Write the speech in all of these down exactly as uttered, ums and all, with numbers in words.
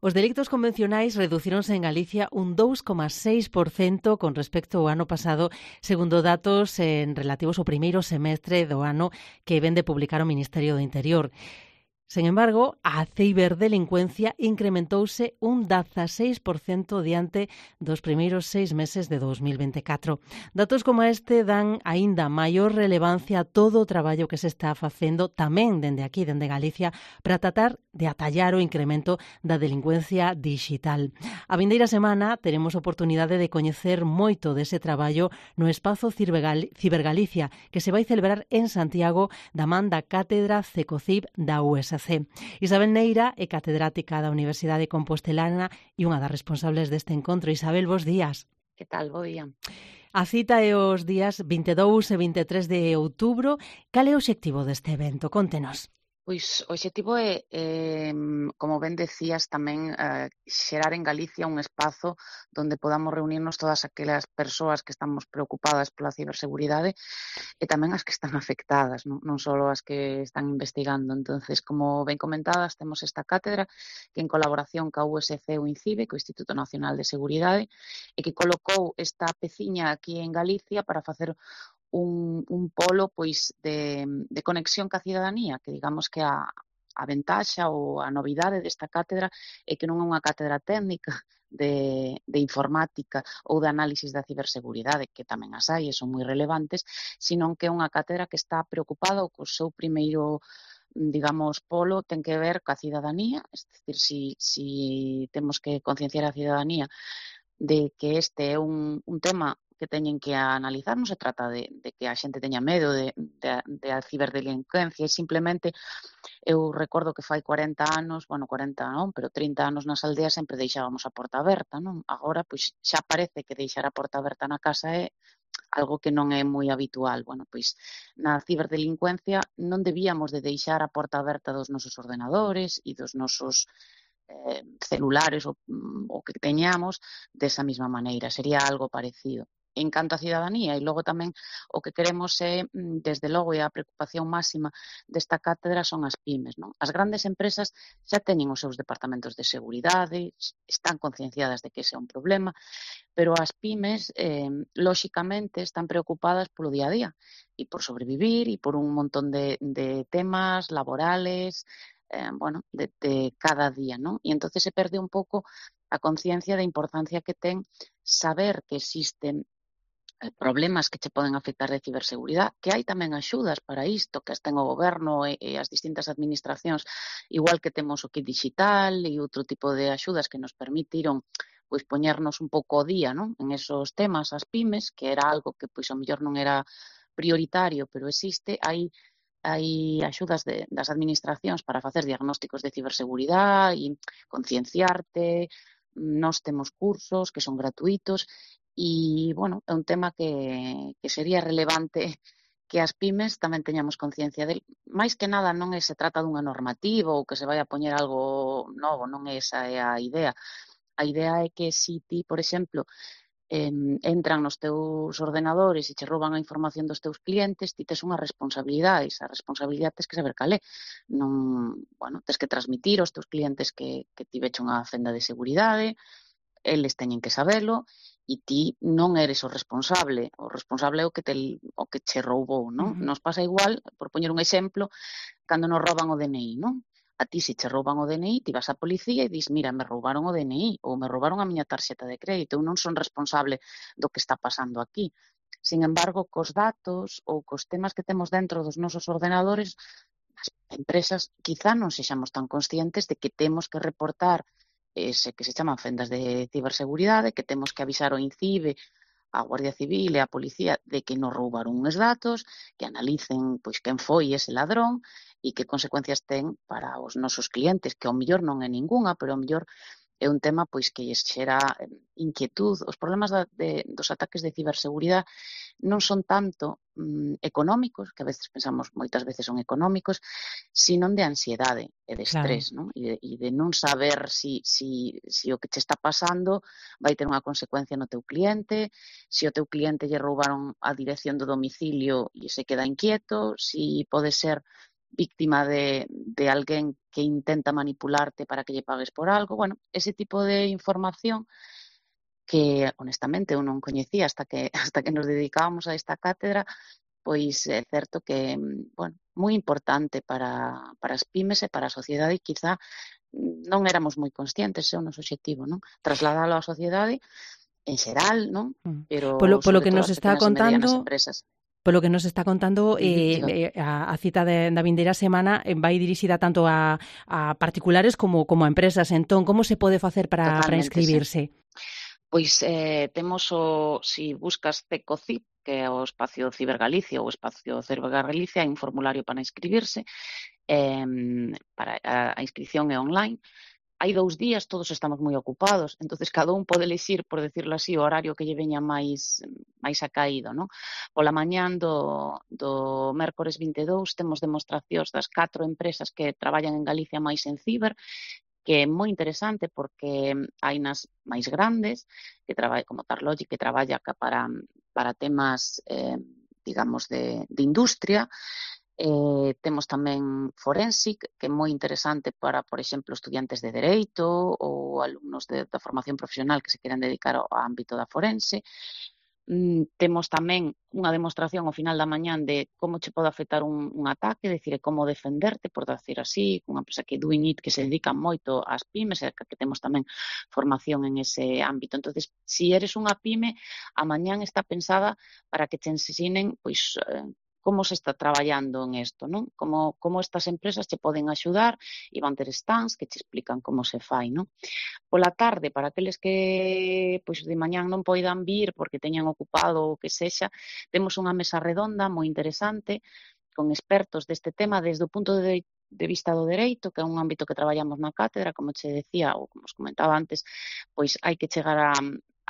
Os delictos convencionais reducíronse en Galicia un dous coma seis por cento con respecto ao ano pasado, segundo datos en relativos ao primeiro semestre do ano que vén de publicar o Ministerio do Interior. Sen embargo, a ciberdelincuencia incrementouse un dieciséis por cento diante dos primeiros seis meses de dos mil veinticuatro. Datos como este dan aínda maior relevancia a todo o traballo que se está facendo tamén dende aquí, dende Galicia, para tratar de atallar o incremento da delincuencia digital. A vindeira semana teremos oportunidade de coñecer moito dese traballo no espazo Cibergalicia, que se vai celebrar en Santiago da man da Cátedra CECOCIB da U S C. Isabel Neira é catedrática da Universidade Compostelana e unha das responsables deste encontro. Isabel, bos días. Que tal? Bo día. A cita é os días vinte e dous e vinte e tres de outubro. Cal é o obxectivo deste evento? Contenos. Pois o obxectivo é, eh, como ben decías, tamén eh, xerar en Galicia un espazo onde podamos reunirnos todas aquelas persoas que estamos preocupadas pola ciberseguridade e tamén as que están afectadas, non, non só as que están investigando. Entonces, como ben comentadas, temos esta cátedra que en colaboración ca U S C e o INCIBE, co Instituto Nacional de Seguridade, e que colocou esta peciña aquí en Galicia para facer un, un polo pois de, de conexión ca cidadanía, que digamos que a, a ventaxa ou a novidade desta cátedra é que non é unha cátedra técnica de, de informática ou de análisis da ciberseguridade, que tamén as hai e son moi relevantes, sino que é unha cátedra que está preocupada ou co seu primeiro digamos, polo ten que ver ca cidadanía, é dicir, si, si temos que concienciar a cidadanía de que este é un, un tema que teñen que analizar, non se trata de, de que a xente teña medo de, de, de a ciberdelincuencia, e simplemente eu recordo que fai cuarenta anos, bueno, cuarenta non, pero trinta anos nas aldeas sempre deixábamos a porta aberta, non? Agora, pois, xa parece que deixar a porta aberta na casa é algo que non é moi habitual. Bueno, pois, na ciberdelincuencia non debíamos de deixar a porta aberta dos nosos ordenadores e dos nosos eh, celulares ou, o que teñamos desa mesma maneira, sería algo parecido. En canto a cidadanía, e logo tamén o que queremos é, desde logo, e a preocupación máxima desta cátedra son as pymes, non? As grandes empresas xa teñen os seus departamentos de seguridade, están concienciadas de que ese é un problema, pero as pymes, eh, lóxicamente, están preocupadas polo día a día e por sobrevivir e por un montón de, de temas laborales, eh, bueno, de, de cada día, non? E entonces se perde un pouco a conciencia da importancia que ten saber que existen problemas que che poden afectar de ciberseguridade, que hai tamén axudas para isto, que as ten o goberno e, e as distintas administracións, igual que temos o kit digital e outro tipo de axudas que nos permitiron pois poñernos un pouco ao día, non? En esos temas, as pymes, que era algo que pois ao mellor non era prioritario, pero existe, hai hai axudas de, das administracións para facer diagnósticos de ciberseguridade e concienciarte. Nós temos cursos que son gratuitos e, bueno, é un tema que, que sería relevante que as pymes tamén teñamos conciencia del. Mais que nada non é se trata dunha normativa ou que se vai a poñer algo novo, non é esa é a idea. A idea é que se ti, por exemplo, eh, entran nos teus ordenadores e che rouban a información dos teus clientes, ti tes unha responsabilidade, esa responsabilidade tes que saber cal é. Non, bueno, tes que transmitir aos teus clientes que, que ti veche unha fenda de seguridade, eles teñen que sabelo, e ti non eres o responsable, o responsable é o que te, o que che roubou, non? Uh-huh. Nos pasa igual, por poñer un exemplo, cando nos rouban o D N I, non? A ti, se che rouban o D N I, ti vas á policía e dis, mira, me roubaron o D N I ou me roubaron a miña tarxeta de crédito, eu non son responsable do que está pasando aquí. Sin embargo, cos datos ou cos temas que temos dentro dos nosos ordenadores, as empresas quizá non sexamos tan conscientes de que temos que reportar ese que se chaman fendas de ciberseguridade, que temos que avisar ao INCIBE, a Guardia Civil e a Policía de que nos roubaron uns datos, que analicen pois quen foi ese ladrón e que consecuencias ten para os nosos clientes, que ao mellor non é ningunha, pero ao mellor é un tema pois que lles xera inquietud. Os problemas da, de, dos ataques de ciberseguridade non son tanto mm, económicos, que a veces pensamos moitas veces son económicos, sino de ansiedade e de estrés, claro. Non? E, de, e de non saber si, si, si o que che está pasando vai ter unha consecuencia no teu cliente, si o teu cliente lle roubaron a dirección do domicilio e se queda inquieto, si pode ser víctima de, de alguén que intenta manipularte para que lle pagues por algo. Bueno, ese tipo de información que, honestamente, eu non coñecía hasta que, hasta que nos dedicábamos a esta cátedra, pois é certo que, bueno, moi importante para, para as pymes e para a sociedade e quizá non éramos moi conscientes, é o noso obxectivo, non? Trasladalo á sociedade en xeral, non? Polo, Pero polo sobre que todo nos as está pequenas e medianas contando, empresas. polo que nos está contando, Uh-huh, eh, diga. eh, a, a cita de, da vindeira semana eh, vai dirixida tanto a, a particulares como, como a empresas. Entón, como se pode facer para, para Totalmente, sí. inscribirse? Pois eh, temos o, si buscas CECOCIP, que é o espacio Cibergalicia ou o espacio Cibergalicia, hai un formulario para inscribirse, eh, para a, a inscripción é online. Hai dous días, todos estamos moi ocupados, entonces cada un pode elixir, por decirlo así, o horario que lle veña máis máis acaído, non? Pola mañán do, do mércores vinte e dous temos demostracións das catro empresas que traballan en Galicia máis en ciber, que é moi interesante porque hai nas máis grandes, que traballa como Tarlogic, que traballa para, para temas, eh, digamos, de, de industria. Eh, temos tamén Forensic, que é moi interesante para, por exemplo, estudiantes de Dereito ou alumnos de, da formación profesional que se queren dedicar ao ámbito da forense. Mm, temos tamén unha demostración ao final da mañán de como che pode afectar un, un ataque, decir, como defenderte, por decir así, unha empresa que Doing It, que se dedica moito ás pymes, e que temos tamén formación en ese ámbito. Entonces, si eres unha pyme, a mañán está pensada para que te ensinen, pois, eh, como se está traballando en isto, non? Como, como estas empresas che poden axudar e van ter stands que te explican como se fai, non? Pola tarde, para aqueles que pois de mañán non poidan vir porque teñan ocupado o que sexa, temos unha mesa redonda moi interesante con expertos deste tema desde o punto de, de vista do dereito, que é un ámbito que traballamos na cátedra, como che decía, ou como os comentaba antes, pois hai que chegar a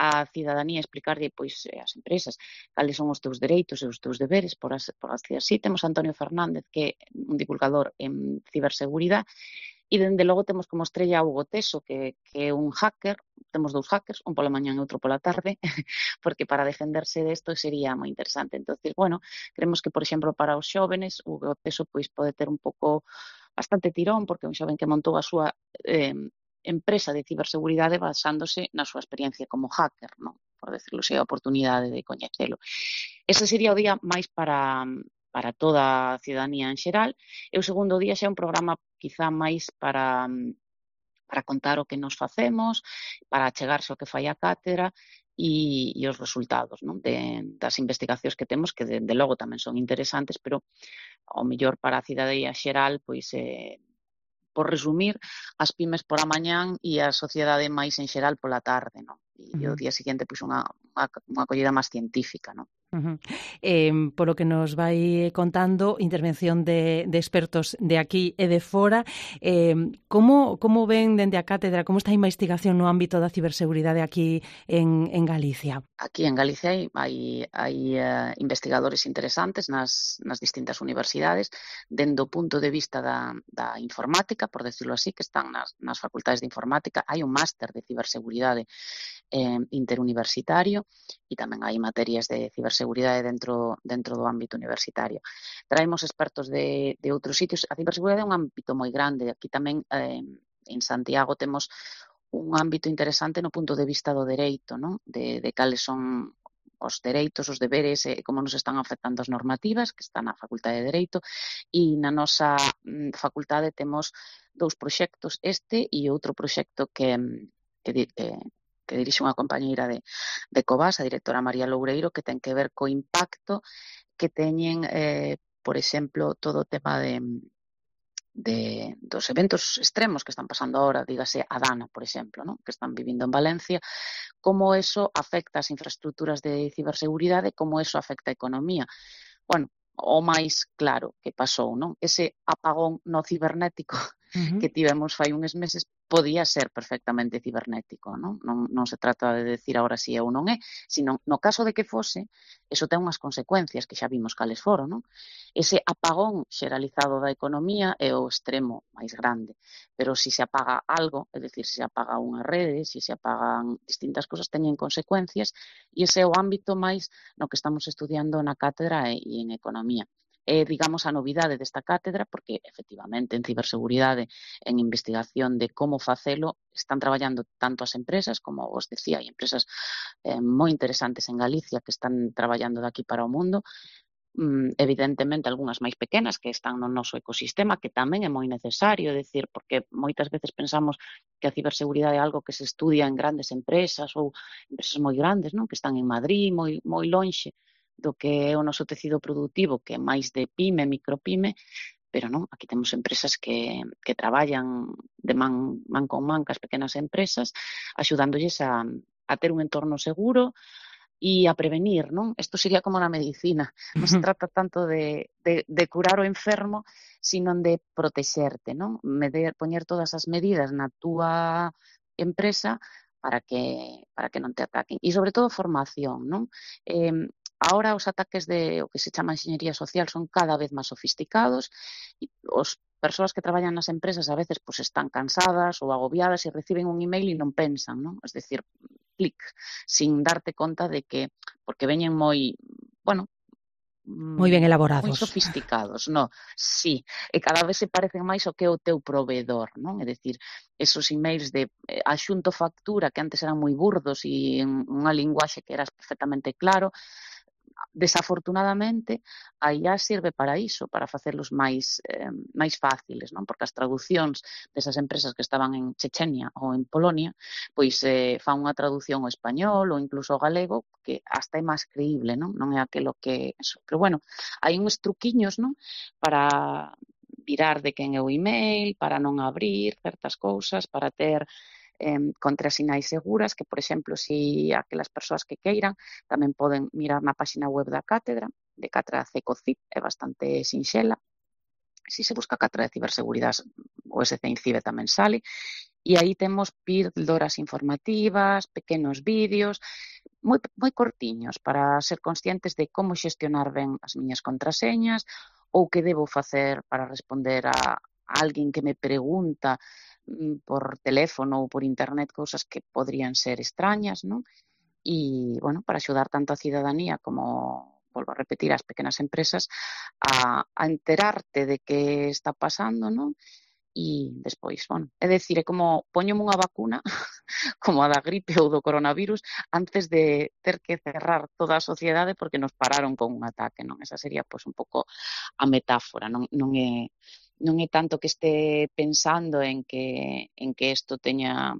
a cidadanía explicarlle pois as empresas cales son os teus dereitos e os teus deberes, por, as, por así así. Temos a Antonio Fernández, que é un divulgador en ciberseguridade, e dende logo temos como estrella a Hugo Teso, que, que é un hacker. Temos dous hackers, un pola mañán e outro pola tarde, porque para defenderse desto sería moi interesante. Entonces, bueno, creemos que, por exemplo, para os xóvenes, Hugo Teso pois pode ter un pouco bastante tirón, porque é un xoven que montou a súa eh, empresa de ciberseguridade basándose na súa experiencia como hacker, non? Por decirlo así, a oportunidade de coñecelo. Ese sería o día máis para, para toda a cidadanía en xeral, e o segundo día xa é un programa quizá máis para, para contar o que nos facemos, para achegarse o que fai a cátedra e, e os resultados, non? De, das investigacións que temos, que de, de logo tamén son interesantes, pero ao mellor para a cidadanía xeral, pois eh, por resumir, as pymes por a mañán e a sociedade máis en xeral pola tarde, non? E uh-huh. o día seguinte, pois, unha, unha, unha acollida máis científica, non? Uh-huh. Eh, polo que nos vai contando, intervención de, de expertos de aquí e de fora, eh, como, como ven dende a cátedra, como está a investigación no ámbito da ciberseguridade aquí en, en Galicia? Aquí en Galicia hai, hai, hai uh, investigadores interesantes nas, nas distintas universidades, dende o punto de vista da, da informática, por decirlo así, que están nas, nas facultades de informática. Hai un máster de ciberseguridade eh, interuniversitario e tamén hai materias de ciberseguridade dentro, dentro do ámbito universitario. Traemos expertos de, de outros sitios. A ciberseguridade é un ámbito moi grande. Aquí tamén eh, en Santiago temos un ámbito interesante no punto de vista do dereito, non? De, de cales son os dereitos, os deberes e como nos están afectando as normativas, que están na Facultade de Dereito, e na nosa mm, facultade temos dous proxectos, este e outro proxecto que, que, que, que dirixe unha compañeira de, de Covas, a directora María Loureiro, que ten que ver co impacto que teñen, eh, por exemplo, todo o tema de De, dos eventos extremos que están pasando ahora, dígase a Dana, por exemplo, ¿no? Que están vivindo en Valencia, como eso afecta as infraestructuras de ciberseguridade, como eso afecta a economía. Bueno, o máis claro que pasou, non? Ese apagón no cibernético uh-huh. que tivemos fai uns meses podía ser perfectamente cibernético, non? Non, non se trata de decir agora si é ou non é, sino no caso de que fose, eso ten unhas consecuencias que xa vimos cales foron, non? Ese apagón xeralizado da economía é o extremo máis grande, pero se se apaga algo, é dicir, se se apaga unha rede, se se apagan distintas cosas, teñen consecuencias, e ese é o ámbito máis no que estamos estudiando na cátedra e, e en economía. é, digamos, a novidade desta cátedra, porque, efectivamente, en ciberseguridade, en investigación de como facelo, están traballando tanto as empresas, como vos decía, hai empresas eh, moi interesantes en Galicia que están traballando de aquí para o mundo, mm, evidentemente algunhas máis pequenas que están no noso ecosistema, que tamén é moi necesario, decir, porque moitas veces pensamos que a ciberseguridade é algo que se estudia en grandes empresas ou empresas moi grandes, non? Que están en Madrid, moi, moi lonxe do que é o noso tecido productivo, que é máis de pyme, micropyme, pero non, aquí temos empresas que, que traballan de man, man con man cas pequenas empresas, axudándolles a, a ter un entorno seguro e a prevenir, non? Isto sería como na medicina. Non se trata tanto de, de, de curar o enfermo, sino de protexerte, non? Medir, poñer todas as medidas na túa empresa para que, para que non te ataquen. E, sobre todo, formación, non? Eh, Ahora os ataques de o que se chama enxeñería social son cada vez máis sofisticados e os persoas que traballan nas empresas a veces pues, están cansadas ou agobiadas e reciben un email e non pensan, non? Es decir, clic, sin darte conta de que, porque veñen moi, bueno, moi ben moi elaborados. sofisticados, no? Sí, e cada vez se parecen máis ao que é o teu proveedor, non? É dicir, esos emails de eh, axunto factura que antes eran moi burdos e en unha linguaxe que eras perfectamente claro, desafortunadamente, a I A sirve para iso, para facelos máis, eh, máis fáciles, non? Porque as traducións desas empresas que estaban en Chechenia ou en Polonia, pois eh, fan unha traducción ao español ou incluso ao galego que hasta é máis creíble, non? Non é aquilo que... Eso. Pero bueno, hai uns truquiños, non? Para virar de quen é o email, para non abrir certas cousas, para ter eh, contrasinais seguras, que, por exemplo, si aquelas persoas que queiran tamén poden mirar na páxina web da cátedra, de Cátedra CECOCIB, é bastante sinxela. Si se busca Cátedra de Ciberseguridade, o S C INCIBE tamén sale, e aí temos píldoras informativas, pequenos vídeos, moi, moi cortiños, para ser conscientes de como xestionar ben as miñas contraseñas ou que debo facer para responder a alguén que me pregunta por teléfono ou por internet cousas que podrían ser extrañas, non? E, bueno, para axudar tanto a cidadanía como, volvo a repetir, as pequenas empresas a, a enterarte de que está pasando, non? E despois, bueno, é dicir, é como poñome unha vacuna como a da gripe ou do coronavirus antes de ter que cerrar toda a sociedade porque nos pararon con un ataque, non? Esa sería, pois, un pouco a metáfora, non, non é non é tanto que este pensando en que en que isto teña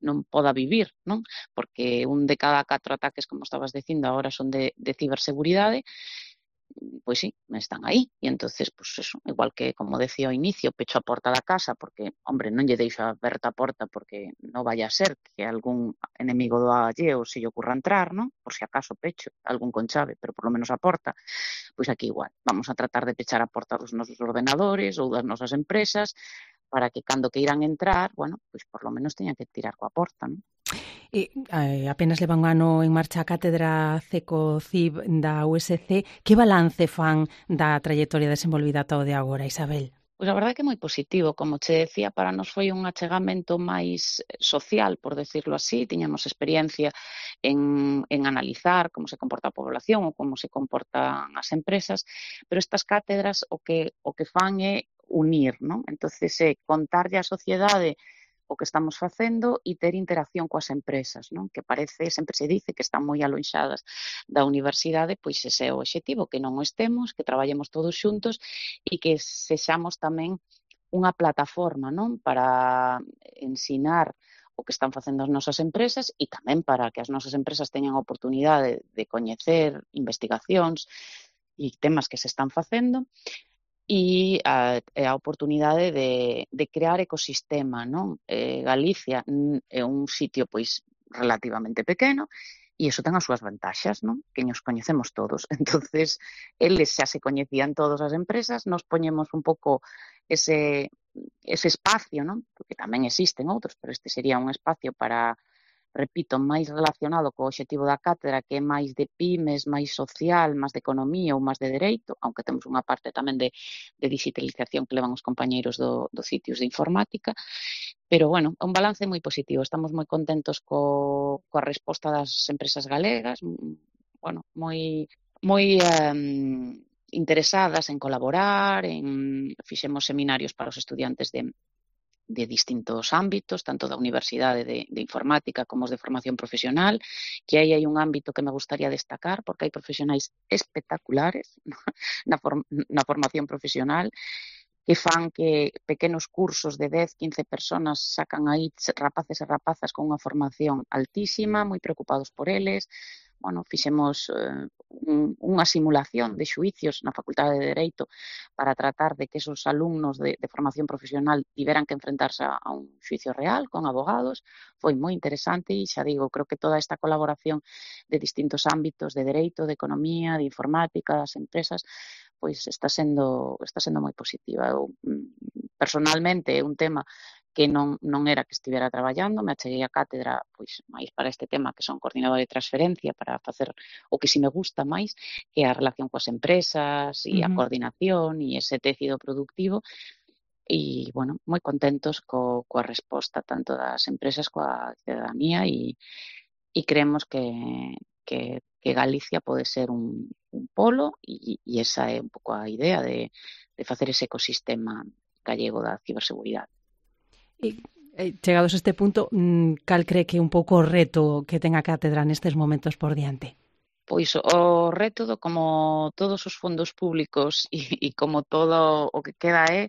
non poda vivir, non? Porque un de cada catro ataques, como estabas dicindo, agora son de, de ciberseguridade, pois sí, están aí. E entonces, pois eso, igual que, como decía ao inicio, pecho a porta da casa porque, hombre, non lle deixo aberta a porta porque non vaya a ser que algún enemigo do alleo se lle ocurra entrar, non? Por si acaso pecho algún con chave, pero por lo menos a porta. Pois aquí igual, vamos a tratar de pechar a porta dos nosos ordenadores ou das nosas empresas para que cando que irán entrar, bueno, pois por lo menos teñan que tirar coa porta, non? E, eh, apenas leva un ano en marcha a cátedra CECOCIB da U S C. Que balance fan da trayectoria desenvolvida ata o de agora, Isabel? Pois a verdade é que é moi positivo, como che decía, para nos foi un achegamento máis social, por decirlo así, tiñamos experiencia en, en analizar como se comporta a población ou como se comportan as empresas, pero estas cátedras o que, o que fan é unir, non? Entonces, é contarlle á sociedade o que estamos facendo e ter interacción coas empresas, non? Que parece, sempre se dice que están moi alonxadas da universidade, pois ese é o obxectivo, que non o estemos, que traballemos todos xuntos e que sexamos tamén unha plataforma, non? Para ensinar o que están facendo as nosas empresas e tamén para que as nosas empresas teñan a oportunidade de coñecer investigacións e temas que se están facendo e a, a oportunidade de, de crear ecosistema, non? Eh, Galicia é un sitio pois relativamente pequeno e iso ten as súas vantaxas, non? Que nos coñecemos todos. Entonces, eles xa se coñecían todas as empresas, nos poñemos un pouco ese, ese espacio, non? Porque tamén existen outros, pero este sería un espacio para, repito, máis relacionado co obxectivo da cátedra, que é máis de pymes, máis social, máis de economía ou máis de dereito, aunque temos unha parte tamén de, de digitalización que levan os compañeiros do, dos sitios de informática, pero, bueno, un balance moi positivo. Estamos moi contentos co, coa resposta das empresas galegas, bueno, moi, moi um, interesadas en colaborar, en fixemos seminarios para os estudiantes de de distintos ámbitos, tanto da Universidade de, de Informática como os de formación profesional, que aí hai un ámbito que me gustaría destacar, porque hai profesionais espectaculares na, form na formación profesional, que fan que pequenos cursos de dez, quince personas sacan aí rapaces e rapazas con unha formación altísima, moi preocupados por eles. Bueno, fixemos eh, un, unha simulación de xuicios na Facultade de Dereito para tratar de que esos alumnos de, de formación profesional tiveran que enfrentarse a, a un xuicio real con abogados. Foi moi interesante e xa digo, creo que toda esta colaboración de distintos ámbitos de dereito, de economía, de informática, das empresas, pois está sendo está sendo moi positiva. Eu, personalmente, é un tema que non, non era que estivera traballando, me acheguei a cátedra pois máis para este tema, que son coordinador de transferencia, para facer o que si me gusta máis, que é a relación coas empresas e a Uh-huh. coordinación e ese tecido productivo. E, bueno, moi contentos co, coa resposta tanto das empresas coa cidadanía e, e creemos que, que, que Galicia pode ser un, un polo e, e esa é un pouco a idea de, de facer ese ecosistema gallego da ciberseguridade. E, eh, chegados a este punto, cal cree que é un pouco o reto que ten a cátedra nestes momentos por diante? Pois o reto, como todos os fondos públicos e, e como todo o que queda é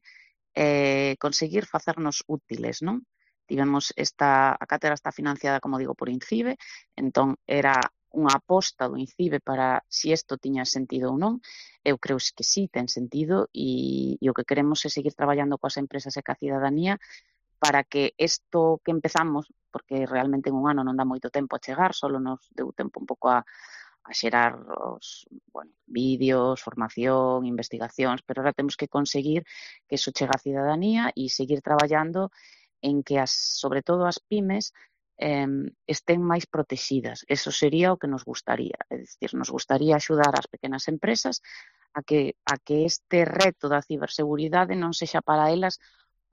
eh, conseguir facernos útiles, non? Tivemos esta, a cátedra está financiada, como digo, por INCIBE, entón era unha aposta do INCIBE para si isto tiña sentido ou non. Eu creo que sí, ten sentido e, e o que queremos é seguir traballando coas empresas e ca cidadanía para que isto que empezamos, porque realmente en un ano non dá moito tempo a chegar, solo nos deu tempo un pouco a, a xerar os bueno, vídeos, formación, investigacións, pero ahora temos que conseguir que iso chegue á cidadanía e seguir traballando en que, as, sobre todo as pymes, eh, estén máis protegidas. Eso sería o que nos gustaría. É dicir, nos gustaría axudar as pequenas empresas a que, a que este reto da ciberseguridade non sexa para elas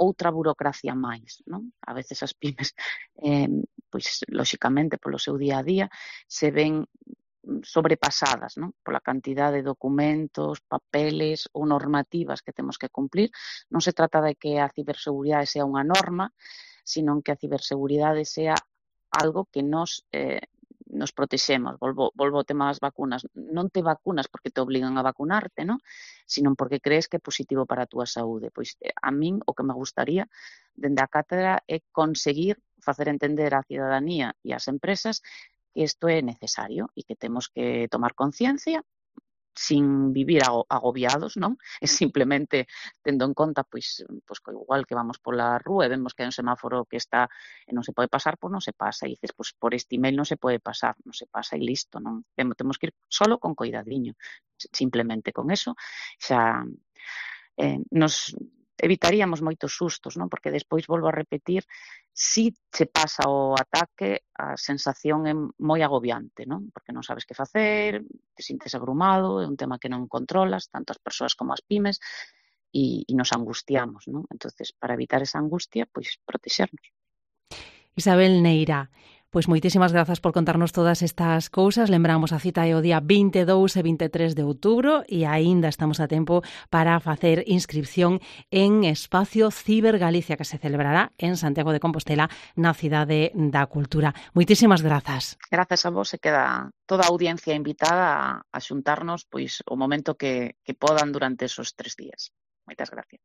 outra burocracia máis, non? A veces as pymes, eh, pois, lóxicamente, polo seu día a día, se ven sobrepasadas, non? Pola cantidade de documentos, papeles ou normativas que temos que cumplir. Non se trata de que a ciberseguridade sea unha norma, sino que a ciberseguridade sea algo que nos eh, nos protexemos. Volvo, volvo ao tema das vacunas. Non te vacunas porque te obligan a vacunarte, non? Sino porque crees que é positivo para a túa saúde. Pois a min o que me gustaría dende a cátedra é conseguir facer entender á cidadanía e ás empresas que isto é necesario e que temos que tomar conciencia sin vivir agobiados, non? É simplemente tendo en conta, pois, pois igual que vamos pola rúa e vemos que hai un semáforo que está e non se pode pasar, pois non se pasa. E dices, pois por este email non se pode pasar, non se pasa e listo, non? Temos que ir solo con coidadiño. Simplemente con eso xa eh, nos evitaríamos moitos sustos, non? Porque despois, volvo a repetir, si se pasa o ataque, a sensación é moi agobiante, non? Porque non sabes que facer, te sintes abrumado, é un tema que non controlas, tanto as persoas como as pymes, e, e nos angustiamos, non? Entonces, para evitar esa angustia, pois protexernos. Isabel Neira, pois moitísimas grazas por contarnos todas estas cousas. Lembramos a cita é o día vinte e dous e vinte e tres de outubro e aínda estamos a tempo para facer inscripción en Espacio Ciber Galicia, que se celebrará en Santiago de Compostela, na Cidade da Cultura. Moitísimas grazas. Grazas a vos, e queda toda a audiencia invitada a, a xuntarnos pois o momento que, que podan durante esos tres días. Moitas gracias.